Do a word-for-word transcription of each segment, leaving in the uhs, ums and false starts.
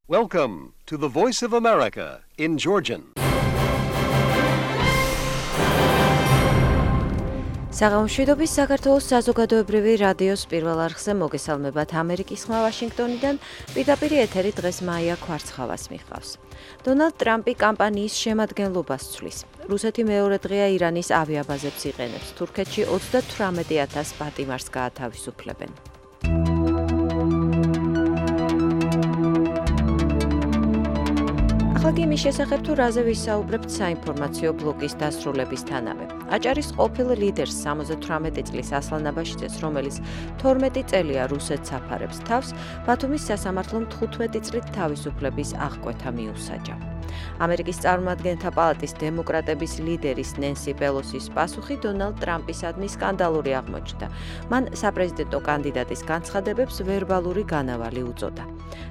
Welcome to the Voice of America in Georgian. საღამოშვიდობის საქართველოს საზოგადოებრივი რადიოს პირველ არხზე მოგესალმებათ ამერიკის ხმა ვაშინგტონიდან, პირდაპირ ეთერი დღეს მაია კვარცხავას მიჰყავს. დონალდ ტრამპი კამპანიის შემადგენლობას ცვლის. რუსეთი მეორე დღეა ირანის ავიაბაზებს იყენებს. თურქეთში ოცდათვრამეტი ათას პატიმარს გაათავისუფლებენ. ახლა იმის შესახებ თუ რაზე ვისაუბრებთ საინფორმაციო ბლოკის დასრულებისთანავე. აჭარის ყოფილ ლიდერს სამოცდათვრამეტი წლის ასლან აბაშიძეს, რომელიც თორმეტი წელია რუსეთს აფარებს თავს, ბათუმის სასამართლომ თხუთმეტი წლით თავისუფლების აღკვეთა მიუსაჯა. ამერიკის წარმომადგენთა პალატის დემოკრატების ლიდერის ნენსი პელოსის პასუხი დონალდ ტრამპისადმი სკანდალური აღმოჩნდა. მან საპრეზიდენტო კანდიდატის განცხადებებს ვერბალური განავალი უწოდა.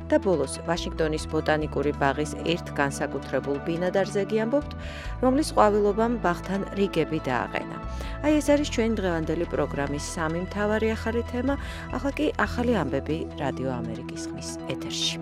და ბოლოს ვაშინგტონის ბოტანიკური ბაღის ერთ განსაკუთრებულ ბინადარზე გიამბობთ, რომლის ყვავილობამ ბაღთან რიგები დააყენა. აი ეს არის ჩვენი დღევანდელი პროგრამის სამი მთავარი ახალი თემა, ახლა კი ახალი ამბები რადიო ამერიკის ხმის ეთერში.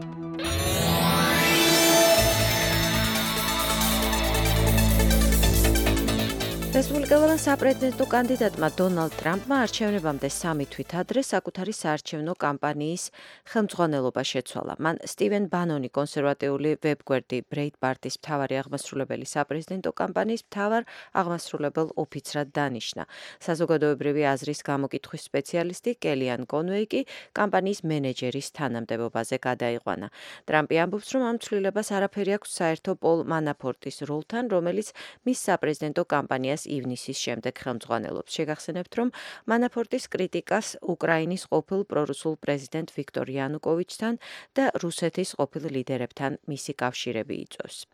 რესპუბლიკელმა საპრეზიდენტო კანდიდატმა დონალდ ტრამპმა არჩევნებამდე სამი თვით ადრე საკუთარი საარჩევნო კამპანიის ხელმძღვანელობა შეცვალა. მან სტივენ ბანონი, კონსერვატიული ვებგვერდი ბრეიტბარტის მთავარი აღმასრულებელი საპრეზიდენტო კამპანიის მთავარ აღმასრულებელ ოფიცრად დანიშნა. საზოგადოებრივი აზრის გამოკითხვის სპეციალისტი კელიან კონვეი კი კამპანიის მენეჯერის თანამდებობაზე გადაიყვანა. ტრამპი ამბობს, რომ ამ ცვლილებას არაფერი აქვს საერთო პოლ მანაფორტის როლთან, რომელიც მის საპრეზიდენტო კამპანიას ივნისის შემდეგ ხელმძღვანელობს. შეგახსენებთ, რომ მანაფორტის კრიტიკას უკრაინის ყოფილ პრორუსულ პრეზიდენტ ვიქტორ იანუკოვიჩთან და რუსეთის ყოფილ ლიდერებთან მისი კავშირები იწვევს.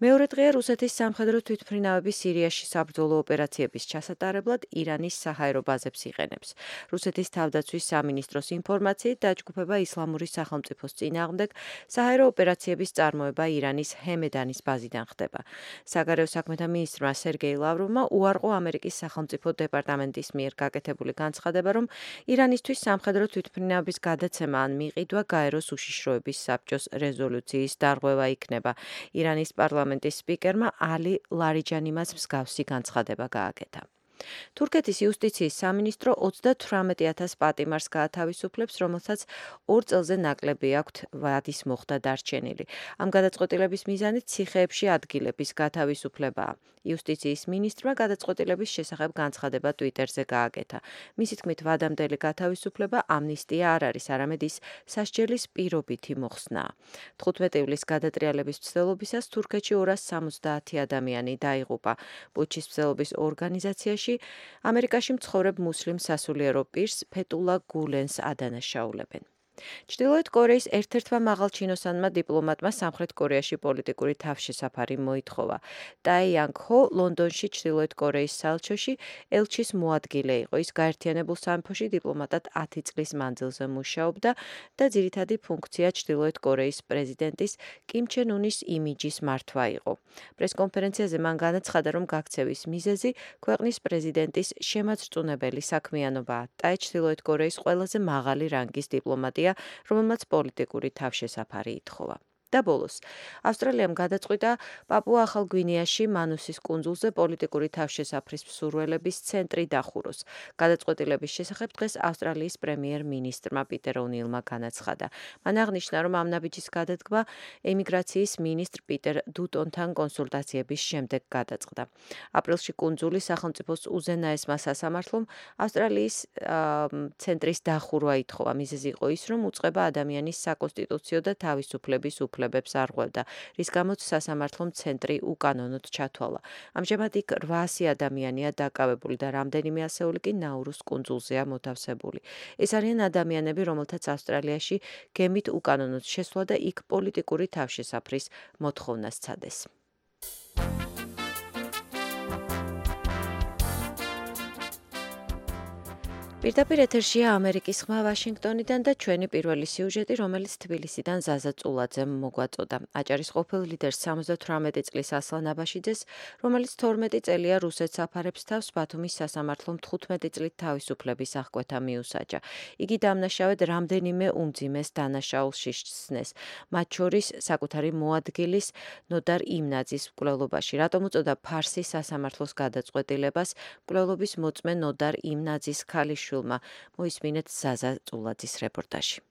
მეორე დღეა რუსეთის სამხედრო თვითმფრინავები სირიაში საბრძოლო ოპერაციების ჩასატარებლად ირანის საჰაერო ბაზებს იყენებს. რუსეთის თავდაცვის სამინისტროს ინფორმაციით დაჯგუფება ისლამური სახელმწიფოს წინააღმდეგ საჰაერო ოპერაციების წარმოება ირანის ჰემედანის ბაზიდან ხდება. საგარეო საქმეთა მინისტრმა სერგეი ლავროვმა უარყო ამერიკის სახელმწიფო დეპარტამენტის მიერ გაკეთებული განცხადება, რომ ირანისთვის სამხედრო თვითმფრინავების გადაცემა ან მიყიდვა გაეროს უშიშროების საბჭოს რეზოლუციის დარღვევა იქნება. ირანის პარლამენტის სპიკერმა ალი ლარიჯანიმაც მსგავსი განცხადება გააკეთა. თურქეთის იუსტიციის სამინისტრო ოცდათვრამეტი ათას პატიმარს გაათავისუფლებს, რომელსაც ორ წელზე ნაკლები აქვთ ვადის მოხდა დარჩენილი. ამ გადაწყვეტილების მიზანით ციხეებში ადგილების გათავისუფლებაა. იუსტიციის მინისტრმა გადაწყვეტილების შესახებ განცხადება ტვიტერზე გააკეთა. მისი თქმით, ვადამდელი გათავისუფლება ამნისტია არ არის, არამედ ის სასჯელის პირობითი მოხსნაა. თხუთმეტი ივლისის გადატრიალების მცდელობისას თურქეთში ორას სამოცდაათი ადამიანი დაიღუპა. პუჩის მცდელობის ორგანიზაციაში ამერიკაში მცხოვრებ მუსლიმ სასულიერო პირს ფეტულა გულენს ადანაშაულებენ. ჩრდილოეთ კორეის ერთ-ერთმა მაღალჩინოსანმა დიპლომატმა სამხრეთ კორეაში პოლიტიკური თავშესაფარი მოითხოვა. ტაი იანგ ჰო ლონდონში ჩრდილოეთ კორეის საელჩოში ელჩის მოადგილე იყო. ის გაერთიანებულ სამეფოში დიპლომატად ათი წლის მანძილზე მუშაობდა და ძირითადი ფუნქცია ჩრდილოეთ კორეის პრეზიდენტის კიმ ჩენ უნის იმიჯის მართვა იყო. პრესკონფერენციაზე მან განაცხადა, რომ გაქცევის მიზეზი ქვეყნის პრეზიდენტის შემაძრწუნებელი საქმიანობაა. ტაი ჩრდილოეთ კორეის ყველაზე მაღალი რანგის დიპლომატია, რომელმაც პოლიტიკური თავშესაფარი ითხოვა. და ბოლოს, ავსტრალიამ გადაწყვიტა პაპუა ახალ გვინეაში მანუსის კუნძულზე პოლიტიკური თავშესაფრის მსურველების ცენტრი დახუროს. გადაწყვეტილების შესახებ დღეს ავსტრალიის პრემიერ-მინისტრმა პიტერ ონილმა განაცხადა. მან აღნიშნა, რომ ამ ნაბიჯის გადადგმა ემიგრაციის მინისტრ პიტერ დუტონთან კონსულტაციების შემდეგ გადაწყდა. აპრილში კუნძულის სახელმწიფოს უზენაესმა სასამართლომ ავსტრალიის ცენტრის დახურვა ითხოვა. მიზეზი იყო ის, რომ უწყება ადამიანის საკონსტიტუციო და თავისუფლების უფლებებს არღვევდა, რის გამოც სასამართლომ ცენტრი უკანონოდ ჩათვალა. ამჟამად იქ რვაასი ადამიანია დაკავებული და რამდენიმე ასეული კი ნაურუს კუნძულზეა მოთავსებული. ეს არიან ადამიანები, რომელთაც ავსტრალიაში გემით უკანონოდ შესვლა და იქ პოლიტიკური თავშესაფრის მოთხოვნა სცადეს. პირდაპირ ეთერშია ამერიკის ხმა ვაშინგტონიდან და ჩვენი პირველი სიუჟეტი, რომელიც თბილისიდან ზაზა წულაძემ მოგვაწოდა. აჭარის ყოფილ ლიდერს სამოცდათვრამეტი წლის ასლან აბაშიძეს, რომელიც თორმეტი წელია რუსეთს აფარებს თავს, ბათუმის სასამართლომ თხუთმეტი წლით თავისუფლების აღკვეთა მიუსაჯა. იგი დამნაშავედ რამდენიმე უმძიმეს დანაშაულს შესცნეს, მათ შორის საკუთარი მოადგილის ნოდარ იმნაძის მკვლელობაში. რატომ უწოდა ფარსის სასამართლოს გადაწყვეტილებას მკვლელობის მოწმე ნოდარ იმნაძის ქალიშვილმა? მოისმინეთ ზაზა წულაძის რეპორტაჟი.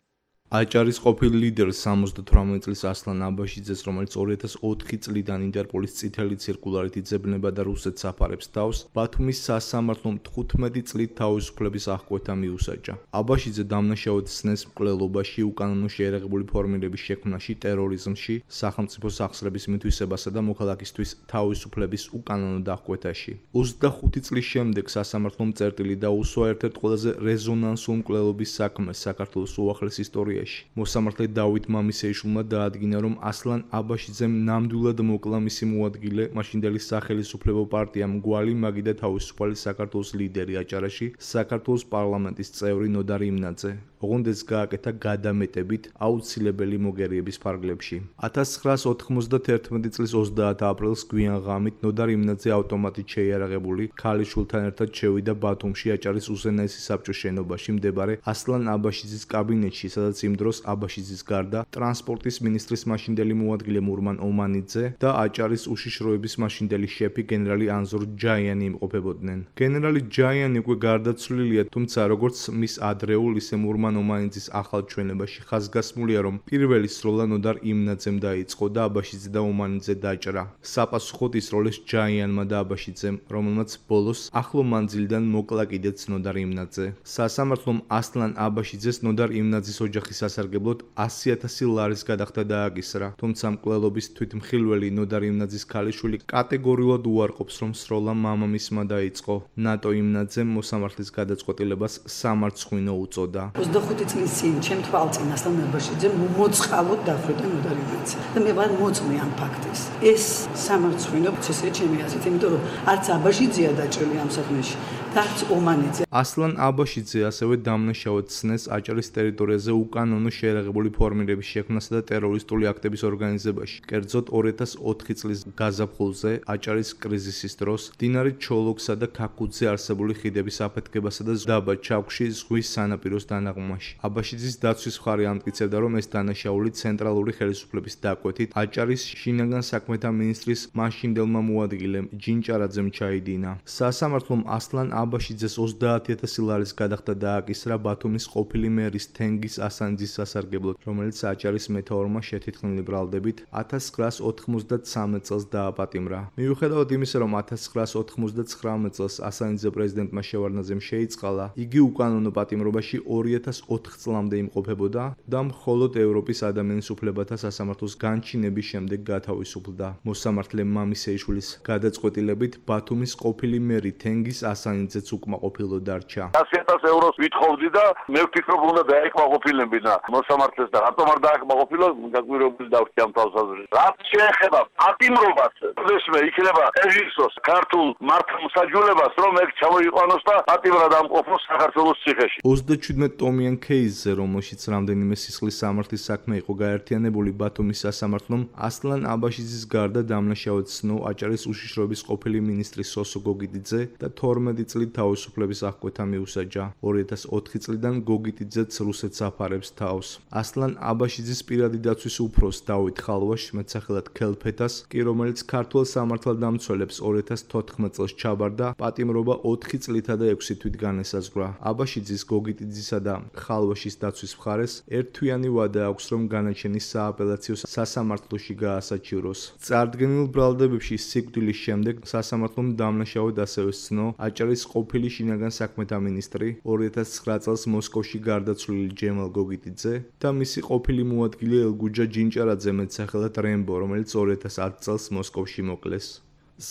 აჭარის ყოფილ ლიდერს სამოცდათვრამეტი წლის ასლან აბაშიძეს, რომელიც ორი ათას ოთხი წლიდან ინტერპოლის წითელი ციρკულარით იძებნება და რუსეთს აფარებს თავს, ბათუმის სასამართლომ თხუთმეტი წლით თავისუფლების აღკვეთა მიუსაჯა. აბაშიძე დამნაშავედ სცნეს მკვლელობაში, უკანონო შეერაღებული ფორმირების შექმნაში, ტერორიზმში, სახელმწიფო სახსრების მითვისებასა და მოქალაქისთვის თავისუფლების უკანონო დახკვეთაში. ოცდახუთი წლის შემდეგ სასამართლომ წერტილი დაუსვა ერთ-ერთ ყველაზე რეზონანსულ მკვლელობის საქმეს საქართველოს უახლეს ისტორიაში. მოსამართლე დავით მამისეიშვილმა დაადგინა, რომ ასლან აბაშიძემ ნამდვილად მოკლა მისი მოადგილე, მაშინდელი სახელისუფლებო პარტია მგვალი მაგი და თავისუფალი საქართველოს ლიდერი აჭარაში, საქართველოს პარლამენტის წევრი ნოდარ იმნაძე. ოღონდ ეს გააკეთა გადამეტებით აუცილებელი მოგერიების ფარგლებში. ათას ცხრაას ოთხმოცდათერთმეტი წლის ოცდაათი აპრილს გვიან ღამით ნოდარ იმნაძე ავტომატით შეიარაღებული ქალიშვილთან ერთად შევიდა ბათუმში აჭარის უზენაესი საბჭოს შენობაში მდებარე ასლან აბაშიძის კაბინეტში, სადაც იმ დროს აბაშიძის გარდა ტრანსპორტის მინისტრის მაშინდელი მოადგილე მურმან ომანიძე და აჭარის უშიშროების მაშინდელი შეფი გენერალი ანზორ ჯაიანი იმყოფებოდნენ. გენერალი ჯაიანი უკვე გარდაცვლილია, თუმცა როგორც მის ადრეულ, ისე მურმან ომანიძის ახალ ჩვენებაში ხაზგასმულია, რომ პირველი სროლა ნოდარ იმნაძემ დაიწყო და აბაშიძე და ომანიძე დაჭრა. საპასუხოდ ისროლეს ჯაიანმა და აბაშიძემ, რომელმაც ბოლოს ახლო მანძილიდან მოკლა კიდეც ნოდარ იმნაძე. სასამართლომ ასლან აბაშიძეს ნოდარ იმნაძის ოჯახის სასარგებლოდ ასი ათასი ლარის გადახდა დააკისრა, თუმცა მკვლელობის თვითმხილველი ნოდარ იმნაძის ქალიშვილი კატეგორიულად უარყოფს, რომ სროლა მამამისმა დაიწყო. ნატო იმნაძემ მოსამართლის გადაწყვეტილებას სამარცხვინო უწოდა. ოცდახუთი წლის წინ ჩემ თვალწინ ასლან აბაშიძე მოწყალოდ დახვრიტა ნოდარ იმნაძე და მე ვარ მოწმე ამ ფაქტის. ეს სამარცხვინო პროცესია ჩემი აზრით, იმიტომ რომ არც აბაშიძეა დაჭრილი ამ საქმეში და არც ომანიძე. ასლან აბაშიძე ასევე დამნაშავედ სცნეს აჭარის ტერიტორიაზე უკანონო შეერაღებული ფორმირების შექმნასა და ტერორისტული აქტების ორგანიზებაში. კერძოდ ორი ათას ოთხი წლის გაზაფხულზე, აჭარის კრიზისის დროს, მდინარე ჩოლოქსა და ქაქუძზე არსებული ხიდების აფეთქებასა და დაბა ჩაქვში ზღვის სანაპიროს დანაღმვაში. აბაშიძის დაცვის მხარე ამტკიცებდა, რომ ეს დანაშაული ცენტრალური ხელისუფლების დაკვეთით აჭარის შინაგან საქმეთა მინისტრის მაშინდელმა მოადგილემ ჯინჭარაძემ ჩაიდინა. სასამართლომ ასლან აბაშიძეს ოცდაათი ათასი ლარის გადახდა დააკისრა ბათუმის ყოფილი მერის თენგის ასანძის სასარგებლოდ, რომელიც აჭარის მეთაურმა შეთითხნილი ბრალდებით ათას ცხრაას ოთხმოცდათსამეტ წელს დააპატიმრა. მიუხედავად იმისა, რომ ათას ცხრაას ოთხმოცდათხრამეტ წელს ასანძე პრეზიდენტმა შევარდნაძემ შეიწყალა, იგი უკანონო პატიმრობაში ორი ათას ოთხ წლამდე იმყოფებოდა და მხოლოდ ევროპის ადამიანის უფლებათა სასამართლოს განჩინების შემდეგ გათავისუფლდა. მოსამართლე მამისეიშვილის გადაწყვეტილებით ბათუმის ყოფილი მერი თენგის ასანიძეც უკმაყოფილო დარჩა. ასი ათას ევროს ვითხოვდი და მე ვფიქრობ, უნდა დაეკმაყოფილებინა მოსამართლეს და რატომ არ დააკმაყოფილო, გაგვირებული დავხდი ამ თავსაზრისით. რაც შეეხება პატიმრობას, ესმე იქნება ეჟისოს ქართულ მართლმსაჯულებას, რომ ეგ ჩამოიყვანოს და პატიმრად ამყოფოს საქართველოს ციხეში. ოცდაჩვიდმეტ ტომიან кейსზე, რომელშიც რამდენიმე სისხლის სამართლის საქმე იყო გაერთიანებული, ბათუმის სასამართლომ ასლან აბაშიძის გარდა დამნაშავედ სცნო აჭარის უშიშროების ყოფილი მინისტრი სოსო გოგიტიძე და თორმეტი წლით თავისუფლების აღკვეთა მიუსაჯა. ორი ათას ოთხი წლიდან გოგიტიძეც რუსეთს აფარებს თავს. ასლან აბაშიძის პირადი დაცვის უფროს დავით ხალვაშ, მეტსახელად ქელფეთას, კი რომელიც ქართველ სამართალდამცველებს ორი ათას თოთხმეტ წელს ჩაბარდა, პატიმრობა ოთხი წლითა და ექვსი თვით განესაზღვრა. აბაშიძის, გოგიტიძისა და ხალვაშის დაცვის მხარეს ერთთვიანი ვადა აქვს, რომ განაჩენი სააპელაციო სასამართლოში გაასაჩივროს. წარდგენილ ბრალდებებში სიკვდილის შემდეგ სასამართლომ დამნაშავედ ასევე სცნო აჭარის ყოფილი შინაგან საქმეთა მინისტრი, ორი ათას ცხრა წელს მოსკოვში გარდაცვლილი ჯემალ გოგიტიძე და მისი ყოფილი მოადგილე ელგუჯა ჯინჭარაძე, მეტსახელად რემბო, რომელიც ორი ათას ათი წელს მოსკოვში მოკლეს.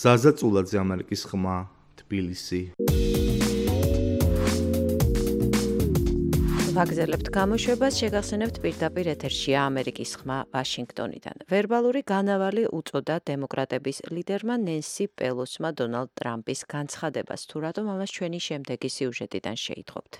ზაზა წულაძე, ამერიკის ხმა, თბილისი. ვაგზელებთ გამოშვებას, შეგახსენებთ პირდაპირ ეთერშია ამერიკის ხმა ვაშინგტონიდან. ვერბალური განავალი უწოდა დემოკრატების ლიდერმა ნენსი პელოსმა დონალდ ტრამპის განცხადებას, თუ რატომ ამას ჩვენი შემდეგი სიუჟეტიდან შეითხოვთ.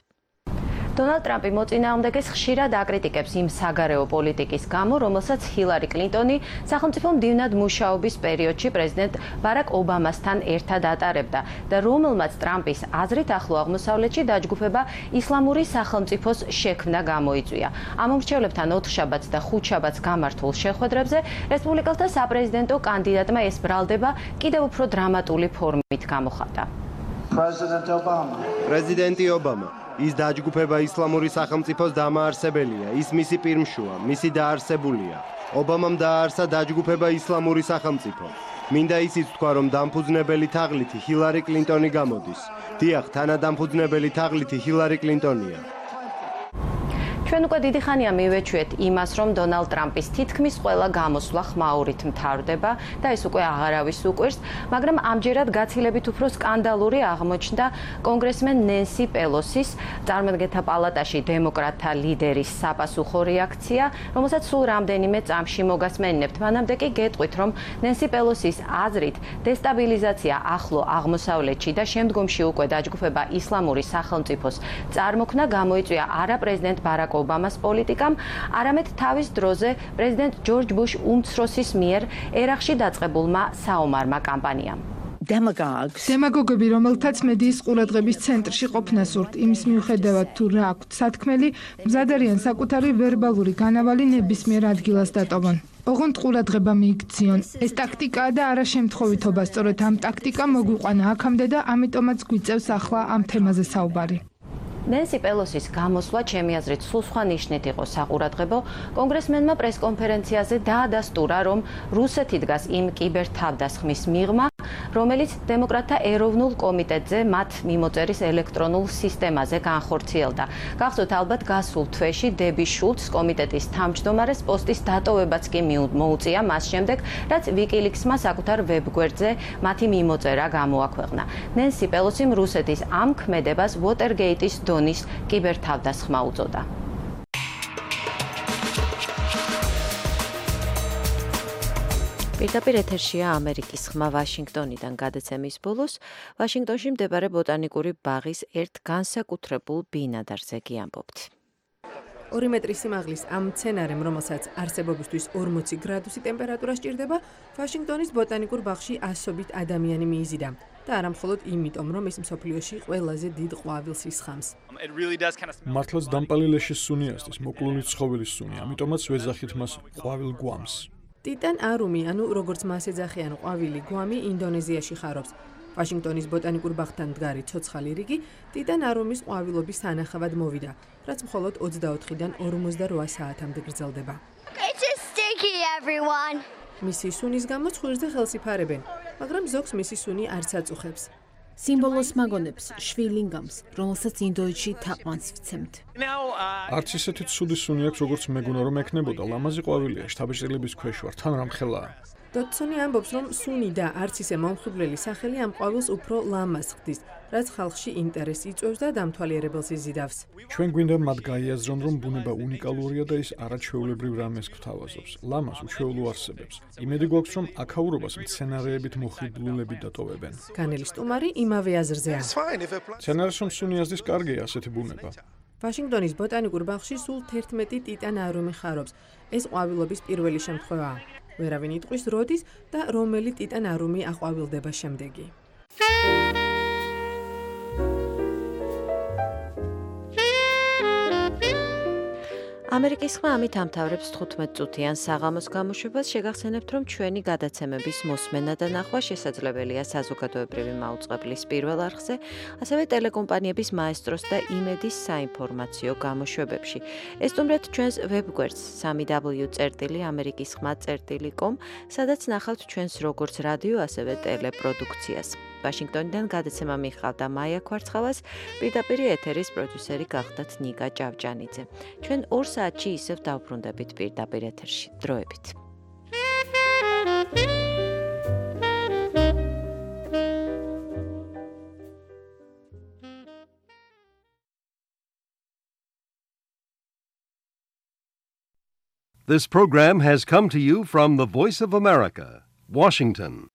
დონალდ ტრამპი მოწინააღმდეგეს ხშირად აკრიტიკებს იმ საგარეო პოლიტიკის გამო, რომელსაც ჰილარი კლინტონი სახელმწიფო მდივნად მუშაობის პერიოდში პრეზიდენტ ბარაკ ობამასთან ერთად ატარებდა და რომელმაც ტრამპის აზრით ახლო აღმოსავლეთში დაჯგუფება ისლამური სახელმწიფოს შექმნა გამოიწვია. ამ მომრჩევლებთან ოთხშაბათს და ხუთშაბათს გამართულ შეხვედრებზე რესპუბლიკელთა საპრეზიდენტო კანდიდატმა ეს ბრალდება კიდევ უფრო დრამატული ფორმით გამოხატა. პრეზიდენტი ობამა ის დაჯგუფება ისლამური სახელმწიფოს დამაარსებელია, ის მისი პირმშუა, მისი დაარსებულია. ობამამ დააარსა დაჯგუფება ისლამური სახელმწიფო. მინდა ისიც თქვა, რომ დამფუძნებელი თაღლითი ჰილარი კლინტონი გამოდის. დიახ, თანადამფუძნებელი თაღლითი ჰილარი კლინტონია. ჩვენ უკვე დიდი ხანია მივეჩვიეთ იმას, რომ დონალდ ტრამპის თითქმის ყველა გამოსვლა ხმაურით მთავრდება და ეს უკვე აღარავის უკვირს, მაგრამ ამჯერად გაცილებით უფრო სკანდალური აღმოჩნდა კონგრესმენ ნენსი პელოსის, წარმომადგენელთა პალატაში დემოკრატთა ლიდერის საპასუხო რეაქცია, რომელსაც სულ რამდენიმე წამში მოგასმენინებთ. მანამდე კი გეტყვით, რომ ნენსი პელოსის აზრით დესტაბილიზაცია ახლო აღმოსავლეთში და შემდგომში უკვე დაჯგუფება ისლამური სახელმწიფოს წარმოქმნა გამოიწვია არა პრეზიდენტ ბარაკ ობამას პოლიტიკამ, არამედ თავის დროზე პრეზიდენტ ჯორჯ ბუშ უმცროსის მიერ ერაყში დაწყებულმა საომარმა კამპანიამ. დემაგოგები, რომელთაც მედიის ყურადღების ცენტრში ყოფნა სურთ, იმის მიუხედავად თუ რა აქვთ სათქმელი, მზად არიან საკუთარი ვერბალური განავალი ნებისმიერ ადგილას დატოვონ. ოღონდ ყურადღება მიიქციონ. ეს ტაქტიკაა და არა შემთხვევითობა, სწორედ ამ ტაქტიკამ მოგვიყვანა აქამდე და ამიტომაც გვიწევს ახლა ამ თემაზე საუბარი. ნენსი პელოსის გამოსვლა ჩემი აზრით სულ სხვა ნიშნით იყო საყურადღებო. კონგრესმენმა პრესკონფერენციაზე დაადასტურა, რომ რუსეთი დგას იმ კიბერთავდასხმის მიღმა, რომელიც დემოკრატთა ეროვნულ კომიტეტზე მათ მიმოწერის ელექტრონულ სისტემაზე განხორციელდა. გახსოვთ ალბათ გასულ თვეში დები შულცს კომიტეტის თავმჯდომარეს პოსტის დატოვებაც კი მოუწია მას შემდეგ, რაც ვიკილიქსმა საკუთარ ვებგვერდზე მათი მიმოწერა გამოაქვეყნა. ნენსი პელოსიმ რუსეთის ამ ქმედებას ვოტერგეიტის დონის კიბერთავდასხმა უწოდა. პირდაპირ ეთერშია ამერიკის ხმა ვაშინგტონიდან გადაცემის ბოლოს. ვაშინგტონში მდებარე ბოტანიკური ბაღის ერთ განსაკუთრებულ ბინადარზე გიამბობთ. ორი მეტრი სიმაღლის ამ მცენარემ, რომელსაც არსებობისთვის ორმოცი გრადუსი ტემპერატურა სჭირდება, ვაშინგტონის ბოტანიკურ ბაღში ასობით ადამიანი მიიზიდა. და არა მხოლოდ იმიტომ, რომ ეს მსოფლიოში ყველაზე დიდ ყვავილს ისხამს. მართლაც დამპალილეშის სუნი ასდის, მოკლული ცხოველის სუნი, ამიტომაც ვეძახით მას ყვავილ გვამს. ტიტან არუმი, ანუ როგორც მას ეძახიან ყვავილი გვამი, ინდონეზიაში ხარობს. ვაშინგტონის ბოტანიკურ ბაღთან მდგარი ცოცხალი რიგი ტიტან არუმის ყვავილობის სანახავად მოვიდა, რაც მხოლოდ ოცდაოთხიდან ორმოცდაოთხ საათამდე გრძელდება. მისი სუნის გამო ცხვირზე ხელს იფარებენ, მაგრამ ზოგს მისი სუნი არც აწუხებს. სიმბოლოს მაგონებს, შვილინგამს, რომელსაც ინდოეთში თაყვანს ვცემთ. არც ისეთი ცუდი სუნი აქვს, როგორც მეგონა რომ ექნებოდა, ლამაზი ყვავილია, შთაბეჭდილების ქვეშ ვარ, თან რამხელაა. დოდსონი ამბობს, რომ სუნი და არც ისე მომხიბვლელი სახელი ამ ყვავილს უფრო ლამაზ ხდის, რაც ხალხში ინტერესს იწვევს და დამთვალიერებელს იზიდავს. ჩვენ გვინდა მათ გაიაზრონ, რომ ბუნება უნიკალურია და ის არაჩვეულებრივ რამეს გვთავაზობს. ლამაზ უჩვეულო არსებებს. იმედი გვაქვს, რომ აქაურობას მცენარეებით მოხიბლულები დატოვებენ. განელის სტუმარი იმავე აზრზეა. მცენარეს რომ სუნი ազდის კარგია ასეთი ბუნება. ვაშინგტონის ბოტანიკურ ბაღში სულ თერთმეტი ტიტან არუმი ხარობს. ეს ყვავილობის პირველი შემთხვევაა. ვერავინ იტყვის როდის და რომელი ტიტან არუმი აყვავილდება შემდეგი. ამერიკის ხმა ამით ამთავრებს თხუთმეტ წუთიან საღამოს გამოშვებას. შეგახსენებთ, რომ ჩვენი გადაცემების მოსმენა და ნახვა შესაძლებელია საზოგადოებრივი მაუწყებლის პირველ არხზე, ასევე ტელეკომპანიების მაესტროს და იმედის საინფორმაციო გამოშვებებში. ესტუმრეთ ჩვენს ვებგვერდს სამი დაბლიუ წერტილი ამერიკის ხმა წერტილი კომ, სადაც ნახავთ ჩვენს როგორც რადიო, ასევე ტელეპროდუქციას. ვაშინგტონიდან გადაცემა მიხავდა მაია ქვარცხავას, პირდაპირ ეთერის პროდიუსერი გახდათ ნიკა ჭავჭანიძე. ჩვენ ორ საათში ისევ დავბრუნდებით პირდაპირ ეთერში. დროებით. This program has come to you from the Voice of America, Washington.